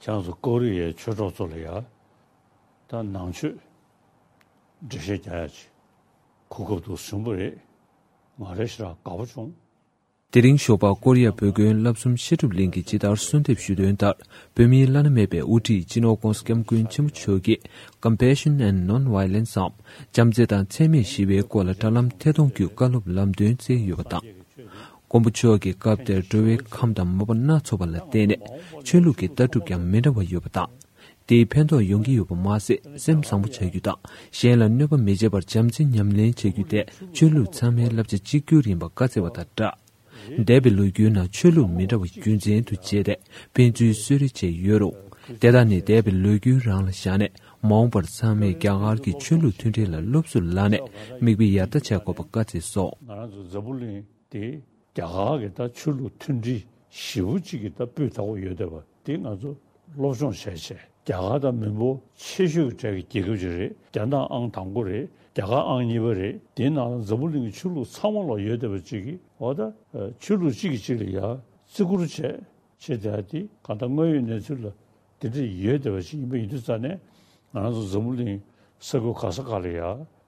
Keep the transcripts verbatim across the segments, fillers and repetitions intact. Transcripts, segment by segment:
ཁྱེད་རང་ཚོ་ཀོ་རི་ཡའི་ཆོས་གྲོགས་ཚོ་ལ་ཡ། ད་ནང་ཆོས་འགྲེལ་བཤད་རྒྱག་ཡ་ཅིག་གོ་སྐབས་འདུག་བཟུང་པ་རེད། ང་རེ་ཞེ་དྲག་དགའ་པོ་བྱུང་། དེ་རིང་ཞོགས་པ་ཀོ་རི་ཡ་བོད་དགོན་བསླབ་གསུམ་བཤད་སྒྲུབ་གླིང་གིས་ཇི་ལྟར་གསོལ་འདེབས་ཞུས་དོན་ལྟར། བོད་མིའི་བླ་ན་མེད་པའི་དབུ་ཁྲིད་སྤྱི་ནོར་༸གོང་ས་༸སྐྱབས་མགོན་ཆེན་པོ་མཆོག་གིས་Compassion and Non-Violence འམ་བྱམས་བརྩེ་དང་འཚེ་མེད་ཞི་བའི་སྐོར་ལ་དྲ་ལམ་ཐད་གཏོང་བརྒྱུད་བཀའ་སློབ་ལམ་སྟོན་སྩལ་ཡོད་པ་དང་། མགོན་པོ་མཆོག་གིས་སྐབས་དེར་འགྲོ་བའི་ཁམས་དང་མོས་པ་སྣ་ཚོགས་པ་ལ་བརྟེན་ནས་ཆོས་ལུགས་ཀྱི་ལྟ་གྲུབ་ཀྱང་མི་འདྲ་བ་ཡོད་པ་དང་། དེས་ཕན་ཐོགས་ཡོང་གི་ཡོད་པ་མ་ཟད། སེམས་བཟང་པོ་བྱ་རྒྱུ་དང་གཞན་ལ་གནོད་པ་མི་བྱེད་པར་བྱམས་བརྩེ་ཉམས་ལེན་བྱ་རྒྱུ་དེ་ཆོས་ལུགས་ཚང་མའི་བསླབ་བྱ་གཅིག་གྱུར་ཡིན་པ་བཀའ་སྩལ་བ་དང་སྦྲགས། འདས་པའི་ལོ་རྒྱུས་ནང་ཆོས་ལུགས་མི་འདྲ་བ་རྒྱུ་མཚན་དུ་བྱས་ཏེ་ཕན་ཚུན་གསོད་རེས་བྱས་ཡོད་རུང་། དེ་དག་ནི་འདས་པའི་ལོ་རྒྱུས་རང་ལ་བཞག་ནས་མ་འོངས་པར་ཚང་མས་རྒྱ་གར་གྱི་ཆོས་ལུགས་མཐུན་སྒྲིལ་ལ་སློབ་གསོ་ལངས་ནས་མིག་དཔེ་ཡར་ལྟ་བྱ་དགོས་པ་བཀའ་སྩལ་སོང་། ང་རང་ཚོ་འཛམ་བུ་གླིང་དེ་རྒྱ་གར་གྱི་ད་ཆོས་ལུགས་མཐུན་སྒྲིལ་ཞེ་པོ་ཅིག་གི་ད་སྤུས་དག་པོ་ཡོད་བསྡད་པ་དེ་ང་ཚོ་སློབ་སྦྱོང་བྱས་བྱས། རྒྱ་གར་དང་མི་འབོར་ཆེ་ཤོས་ཀྱི་གྲས་ཀྱི་རྒྱལ་ཁབ་ཅིག་རེད། རྒྱ་ནག་ཨང་དང་པོ་རེད། རྒྱ་གར་ཨང་གཉིས་པ་རེད། དེའི་ནང་ལ་འཛམ་བུ་གླིང་གི་ཆོས་ལུགས་ཚང་མ་ལ་ཡོད་བསྡད་པ་ཅིག་གིས་འོ་ད་ཆོས་ལུགས་གཅིག་གིས་གཅིག་ལ་ཡ་བརྩི་བཀུར་བྱས་བྱས་བསྡད་ཡ་དེ་གང་ལྟར་དངོས་ཡོད་གནས་ཚུལ་ལ་དེ་འདྲ་ཡོད་བསྡད་པ་ཅིག་ཡིན་པ་ཡིན་དུས་ཙང་ནས་ང་རང་ཚོ་འཛམ་བུ་གླིང་ས་ཁུལ་ག་ས་ག་ལ་ཡ་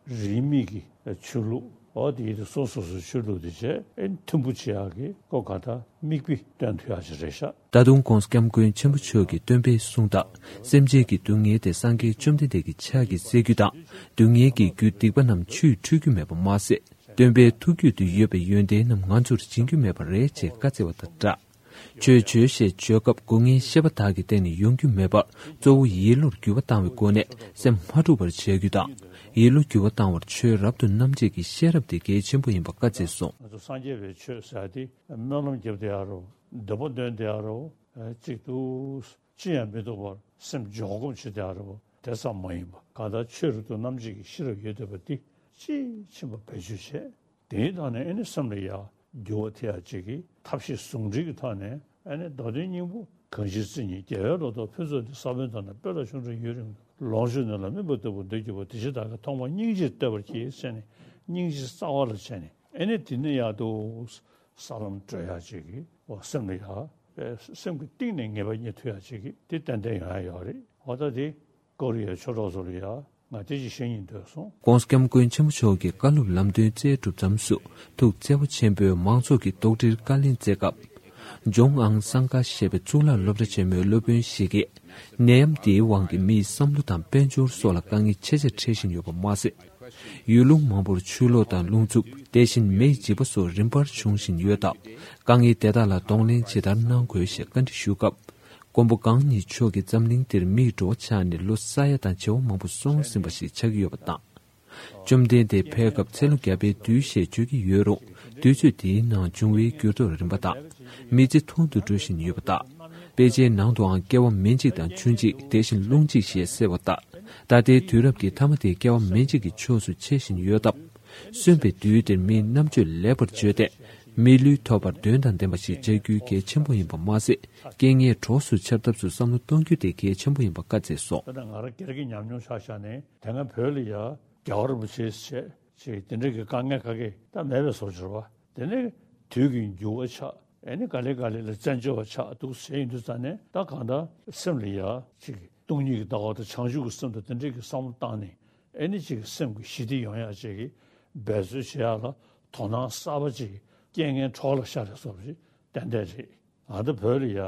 རིས་མེད་ཀྱི་ཆོས་ལུགས་འོ་དེ་ཡིན་དུས་སོ་སོ་སོའི་ཆོས་ལུགས་དེ་བྱས་ཨེ་མཐུན་པོ་བྱེད་ཡག་གི་སྐོར་ག་ད་མིག་དཔེ་སྟོན་ཐུབ་ཡག་ཅིག་རེད་ཤག་ད་དུང་༸གོང་ས་༸སྐྱབས་མགོན་ཆེན་པོ་མཆོག་གི་སྟོན་པས་གསུངས་ལྟར། སེམས་ཅན་གྱི་སྡུག་བསྔལ་དེ་སངས་རྒྱས་བཅོམ་ལྡན་འདས་ཀྱི་ཕྱག་གིས་སེལ་རྒྱུ་དང་། སྡུག་བསྔལ་གྱི་རྒྱུ་སྡིག་པ་རྣམས་ཆུས་འཁྲུད་རྒྱུ་མེད་པ་མ་ཟད། སྟོན་པའི་ཐུགས་རྒྱུད་དུ་ཡོད་པའི་ཡོན་ཏན་རྣམས་ང་ཚོར་སྦྱིན་རྒྱུ་མེད་པ་རེད་ཅེས་བཀའ་སྩལ་བ་དང་སྦྲགས། ཆོས་བྱོས་ཞེས་བརྗོད་སྐབས་སྒོ་ལྔའི་ཤེས་པ་དག་གི་སྟེང་ནས་ཡོང་རྒྱུ་མེད་པར་གཙོ་བོ་ཡིད་བློར་འགྱུར་བ་བཏང་བའི་སྒོ་ནས་སེམས་མ་འཁྲུགས་པར་བྱ་རྒྱུ་དང་། ཡིད་བློ་འགྱུར་བ་བཏང་བར་ཆོས་རབ་ཏུ་རྣམ་འབྱེད་ཀྱི་ཤེས་རབ་དེ་གལ་ཆེན་པོ་ཡིན་པ་བཀའ་སྩལ་སོང་། ང་ཚོ་སངས་རྒྱས་པའི་ཆོས་ཟེར་ཡ་དེ་སྨོན་ལམ་རྒྱབ་བསྡད་ཡ་རོ། འདོད་པ་འདོན་བསྡད་ཡ་རོ། གཅིག་ཏུ་ཅི་ཡང་མི་སྡུག་པར་སེམས་འཇོག་སྒོམ་བྱེད་བསྡད་ཡ་རོ། དེ་ཙམ་མ་ཡིན་པ་གང་ལྟར་ཆོས་རབ་ཏུ་རྣམ་འབྱེད་ཀྱི་ཤེས་རབ་ཡོད་བསྡད་པ་འདི་དཔྱིས་ཕྱིན་པ་བེད་སྤྱོད་བྱས། དེའི་ཐོག་ནས་ཨེ་ནི་སེམས་ལ་ཡ་འགྱུར་བ་ཐེབས་ཡ་ཅིག་གི་ཐབས་ཤེས་ཟུང་འབྲེལ་གྱི་ཐོག་ནས་ཨེ་ནི་མདོ་དོན་སྙིང་པོ་གང་ཞིག་བརྩེ་ཉིད་རྒྱལ་བའི་བློ་ལྡོག་ཕུན་ཚོགས་འདི་ས་བོན་དང་ནི་སྤོས་ལ་ཆུང་འབྲིང་ཡུན་རིང་། ལོངས་སྤྱོད་ནི་ལ་སྨིན་པ་ལྟ་བུ་འདོད་རྒྱུ་བ། དེ་ཕྱིར་བདག་གིས་ཐོག་མར་སྙིང་རྗེ་བསྟོད་པར་གྱིས་ཟེར་ནས་སྙིང་རྗེ་རྩ་བ་ལ་བྱས་ནས་ཨེ་ནི་དེ་ནི་ཡག་ཏུ་ས་ལམ་བགྲོད་ཡ་ཅིག་གི་འོ་སེམས་ལ་ཡ་སེམས་ཀྱི་གཏིང་ནས་ངེས་པ་རྙེད་ཐུབ་ཡ་ཅིག་གི་དེ་ཏན་ཏན་ཡོང་ཡ་ཡོད་རེད། འོ་ད་དེ་ཀོ་རི་ཡའི་ཆོས་གྲོགས་ཚོ་ལ་ཡ་ང་དེ་ཅིག་བཤད་སྙིང་འདོད་སོང་། ༸གོང་ས་༸སྐྱབས་མགོན་ཆེན་པོ་མཆོག་གིས་བཀའ་སློབ་ལམ་སྟོན་སྩལ་གྲུབ་མཚམས་སུ་ཐུགས་བརྩེ་བ་ཆེན་པོས་མང་ཚོགས་ཀྱི་དོགས་འདྲིར་བཀའ་ལན་སྩལ་སྐབས། ཇོང་ཨང་སང་ཀ་ཞེས་པའི་གཙུག་ལག་སློབ་གྲྭ་ཆེན་མོའི་སློབ་དཔོན་ཞིག་གིས། ནད་ཡམས་འདིའི་དབང་གིས་མིའི་བསམ་བློ་དང་དཔལ་འབྱོར་སོགས་ལ་དཀའ་ངལ་ཆེ་ཆེར་འཕྲད་བཞིན་ཡོད་པ་མ་ཟད། ཡུལ་ལུང་མང་པོར་ཆུ་ལོག་དང་རླུང་འཚུབ། དེ་བཞིན་མེ་ཡི་འཇིགས་པ་སོགས་རིམ་པར་བྱུང་བཞིན་ཡོད་སྟབས། དཀའ་ངལ་དེ་དག་ལ་གདོང་ལེན་ཇི་ལྟར་གནང་དགོས་ཞེས་བཀའ་འདྲི་ཞུས་སྐབས། མགོན་པོ་གང་ཉིད་མཆོག་གིས་འཛམ་གླིང་འདིར་མིའི་འགྲོ་བ་ཆགས་ནས་ལོ་ས་ཡ་དང་བྱེ་བ་མང་པོ་སོང་ཟིན་པ་ཞིག་ཆགས་ཀྱི་ཡོད་པ་དང་། བཅོམ་ལྡན་འདས་ཕེབས་སྐབས་ཚེ་ལོ་བརྒྱ་པའི་དུས་ཞེས་བརྗོད་ཀྱི་ཡོད་རུང་། དུས་ཚོད་དེའི་ནང་འབྱུང་བའི་འགྱུར་ལྡོག་རིམ་པ་དང་། མི་ཚེ་ཐུང་དུ་འགྲོ་བཞིན་ཡོད་པ་དང་། དཔེ་ཆའི་ནང་དུའང་སྐྱེ་བ་མི་འཇིག་དང་ཆུ་འཇིག་དེ་བཞིན་རླུང་འཇིག་ཞེས་གསལ་བ་ལྟར། ད་ལྟའི་དུས་རབས་ཀྱི་ཐ་མ་དེའི་སྐྱེ་བ་མི་འཇིག་གི་ཕྱོགས་སུ་ཆེ་བཞིན་ཡོད་སྟབས། གསོན་པའི་དུས་འདིར་མིའི་རྣམ་དཔྱོད་ལེགས་པར་བཅོས་ཏེ། མི་ལུས་ཐོབ་པར་དོན་དང་ལྡན་པ་ཞིག་བྱ་རྒྱུའི་གལ་ཆེན་པོ་ཡིན་པ་མ་ཟད། རྐྱེན་ངན་གྲོགས་སུ་འཆར་ཐབས་སུ་བསམ་བློ་གཏོང་རྒྱུ་དེ་གལ་ཆེན་པོ་ཡིན་པ་བཀའ་སྩལ་སོང་། ད་ལྟ་ང་རང་སྒེར་གྱི་ཉམས་མྱོང་ཆ་བཞག་ནས་དེ་སྔ་བོད་ལ་ཡ་རྒྱལ་བ་རིན་པོ་ཆེ་བྱས་ཅིག་དེ་འདྲ་གི་དཀའ་ངལ་ཁ་སྐད་ད་མེད་པའི་བཟོ་བྱས་པ། དེ་ནས་དུས་ཀྱི་འགྱུར་བ་ཆགས་ཨེ་ནི་ག་ལེ་ག་ལེ་ལ་བཙན་བྱོལ་བ་ཆགས་འདུག་ཟེར་ཡིན་དུས་ཙང་ནས་ད་གང་ལྟར་སེམས་ལ་ཡ་ཅིག་སྟོང་ཉིད་ཀྱི་ལྟ་བ་དང་བྱང་ཆུབ་ཀྱི་སེམས་དང་དེ་འདྲ་གི་བསམ་བློ་བཏང་ནས་ཨེ་ནི་ཅིག་སེམས་ཀྱི་ཞི་བདེ་ཡོང་ཡ་ཅིག་གི་འབད་རྩོལ་བྱེད་ཡ་ལ་དོ་སྣང་གསར་པ་ཅིག་རྐྱེན་ངན་གྲོགས་ལ་ཤར་བའི་བཟོ་འདྲ་ཞིག་ཏན་ཏན་རེད། ང་ཚོ་བོད་ལ་ཡ།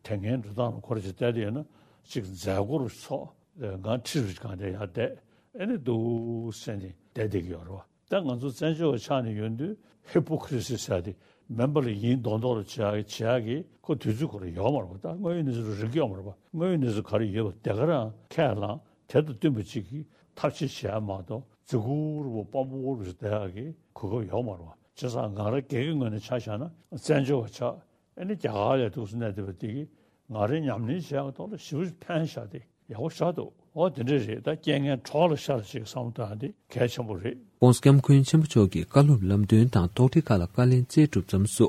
དེ་སྔའི་འགྲོ་སྟངས་ལ་ཁོ་རང་ཅིག་བལྟས་ཏེ་ཡོད་ན་ཅིག་མཛད་སྒོ་རུ་ཚོགས་ང་ཁྲི་རུ་གང་དེ་ཡར་བསྡད་ཨེ་ནི་འདུག་ཟེར་ནས་བསྡད་བསྡད་ཀྱི་ཡོད་རེད་བ། ད་ང་ཚོ་བཙན་བྱོལ་བ་ཆགས་ནས་ཡོད་དུས་ཧི་པོ་ཁི་རི་སི་ཟེར་ཏེ་མིན་པ་ལ་ཡིན་མདོག་མདོག་ལ་བྱེད་ཡག་བྱེད་ཡག་གི་ཁོ་དུས་ཚོད་ཁོ་རང་ཡོད་མ་རེད་བ། ད་དངོས་ཡོད་གནས་ཚུལ་རིག་ཡོད་མ་རེད་བ། དངོས་ཡོད་གནས་ཚུལ་ག་རེ་ཡོད་པ་དེ་ག་རང་ཁས་བླངས་དེ་དང་བསྟུན་པ་ཅིག་གིས་ཐབས་ཤེས་བྱེད་ཡག་མ་གཏོགས་རྫི་གུར་པོ་སྤམ་པོ་རུ་བསྡད་ཡག་གི་གོ་སྐབས་ཡོད་མ་རེད་བ། བྱས་ཙང་ང་རང་སྒེར་གྱི་ངོས་ནས་ཆ་བཞག་ན་བཙན་བྱོལ་བ་ཆགས། ཨ་ནི་རྒྱ་གར་ལ་འདུག་སེ་གནས་བསྡད་པ་དེ་གིས་ང་རའི་ཉམས་ལེན་བྱེད་ཡག་ཐོག་ལ་ཞེ་པོ་ཕན་བཞག་སྟེ་ཡག་པོ་བཞག་འདུག་འོ་དེ་འདྲ་རེད། ད་རྐྱེན་ངན་གྲོགས་ལ་ཤར་ཅིག་བསམ་བློ་བཏང་དེ་གལ་ཆེན་པོ་རེད། ༸གོང་ས་༸སྐྱབས་མགོན་ཆེན་པོ་མཆོག་གིས་བཀའ་སློབ་ལམ་སྟོན་དང་དོགས་འདྲི་ཁག་ལ་བཀའ་ལན་སྩལ་གྲུབ་མཚམས་སུ།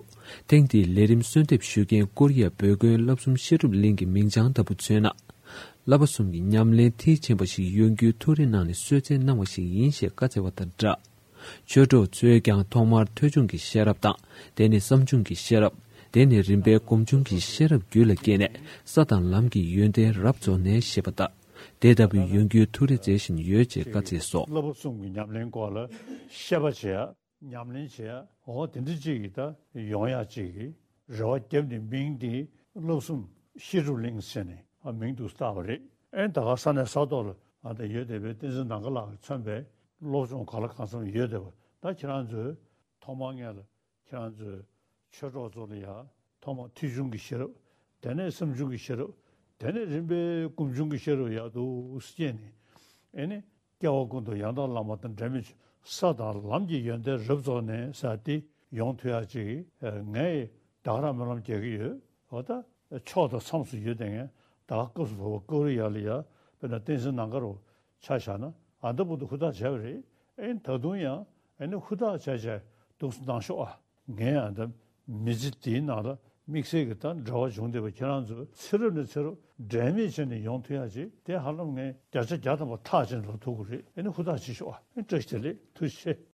ཐེངས་འདིའི་ལས་རིམ་གསོལ་འདེབས་ཞུ་མཁན་ཀོ་རི་ཡ་བོད་དགོན་བསླབ་གསུམ་བཤད་སྒྲུབ་གླིང་གི་མིང་བྱང་ལྟ་བུ་མཚོན་ན། བསླབ་པ་གསུམ་གྱི་ཉམས་ལེན་མཐིལ་ཕྱིན་པ་ཞིག་ཡོང་རྒྱུའི་ཐུགས་རེ་གནང་ནས་གསོལ་སྩལ་གནང་བ་ཞིག་ཡིན་ཞེས་བཀའ་སྩལ་བ་དང་སྦྲགས། ཆོས་གྲོགས་ཚོས་ཀྱང་ཐོག་མར་ཐོས་བྱུང་གི་ཤེས་རབ་དང་། དེ་ནས་བསམ་བྱུང་གི་ཤེས་རབ། དེ་ནི་རིམ་པས་སྒོམ་བྱུང་གི་ཤེས་རབ་རྒྱུད་ལ་སྐྱེས་ནས། ས་དང་ལམ་གྱི་ཡོན་ཏན་རབ་རྫོགས་ནས་ཞེས་པ་ལྟར། དེ་ལྟ་བུའི་ཡོན་རྒྱུའི་ཐུགས་རེ་མཛད་བཞིན་ཡོད་ཅེས་བཀའ་སྩལ་སོ། བསླབ་པ་གསུམ་གྱི་ཉམས་ལེན་སྐོར་ལ་བཤད་པ་བྱེད་ཡ། ཉམས་ལེན་བྱེད་ཡ། འོ་དེ་འདྲ་ཅིག་གི་ད་ཡོང་ཡ་ཅིག་གི་རེ་བ་བརྒྱབ་ནས་མིང་འདི་བསླབ་གསུམ་བཤད་སྒྲུབ་གླིང་ཟེར་ནས་ཨ་མིང་དུ་བཏགས་པ་རེད། ཨེ་ད་ག་ས་གནས་ས་ཐོག་ལ་ཨ་ད་ཡོད་བསྡད་པའི་བསྟན་འཛིན་ནམ་མཁའ་ལགས་ཀྱིས་མཚོན་པའི་སློབ་སྦྱོང་གང་ལ་གང་འཚམ་ཡོད་བསྡད་པ། ད་ཁྱེད་རང་ཚོས་ཐོག་མར་ངས་ལ་ཁྱེད་རང་ཚོའི་ཆོས་གྲོགས་ཚོ་ལ་ཡ་ཐོག་མར་ཐོས་བྱུང་གི་ཤེས་རབ། དེ་ནས་བསམ་བྱུང་གི་ཤེས་རབ། དེ་ནས་རིམ་པས་སྒོམ་བྱུང་གི་ཤེས་རབ་ཡག་ཏུ་སྐྱེས་ནས། ཨེ་ནི་སྐྱེ་བ་ཀུན་ཏུ་ཡང་དག་བླ་མ་དང་འབྲལ་མེད་ཆོས། ས་དང་ལམ་གྱི་ཡོན་ཏན་རབ་རྫོགས་ནས་ཟེར་དེ་ཡོང་ཐུབ་ཡག་ཅིག་ངས་ད་ག་རང་སྨོན་ལམ་རྒྱག་གི་ཡོད། འོ་ད་ཕྱོགས་དང་མཚམས་སུ་ཡོད་དེ་ངས་ད་ག་སྐབས་སུ་བབས་པ་ཀོ་རི་ཡ་ལ་ཡ་དཔེར་ན་བསྟན་འཛིན་ནམ་མཁའ་རུ་ཆ་བཞག་ན་ཨ་ད་བར་དུ་ཧུར་ཐག་བྱས་པ་རེད། ཨེ་ད་དུང་ཡང་ཨེ་ནི་ཧུར་ཐག་བྱས་བྱས་འདུག་སེ་གནང་ཤོག་ཨ། ངས་ཨ་ད་མི་ཚེ་འདིའི་ནང་ལ་དམིགས་བསལ་གྱི་ད་འབྲེལ་བ་བྱུང་བསྡད་པ་ཁྱེད་རང་ཚོས་ཚེ་རབས་ནས་ཚེ་རབས་འབྲལ་མེད་བྱས་ནས་ཡོང་ཐུབ་ཡག་ཅིག་དེ་ཧ་ལམ་ངས་བརྒྱ་ཆ་བརྒྱ་ཐམ་པ་ཐག་བཅད་ནས་ལབ་ཐུབ་ཀྱི་རེད། ཨེ་ནི་ཧུར་ཐག་བྱེད་ཤོག་ཨ། ཨེ་བཀྲ་ཤིས་བདེ་ལེགས། ཐུགས་རྗེ་ཆེ།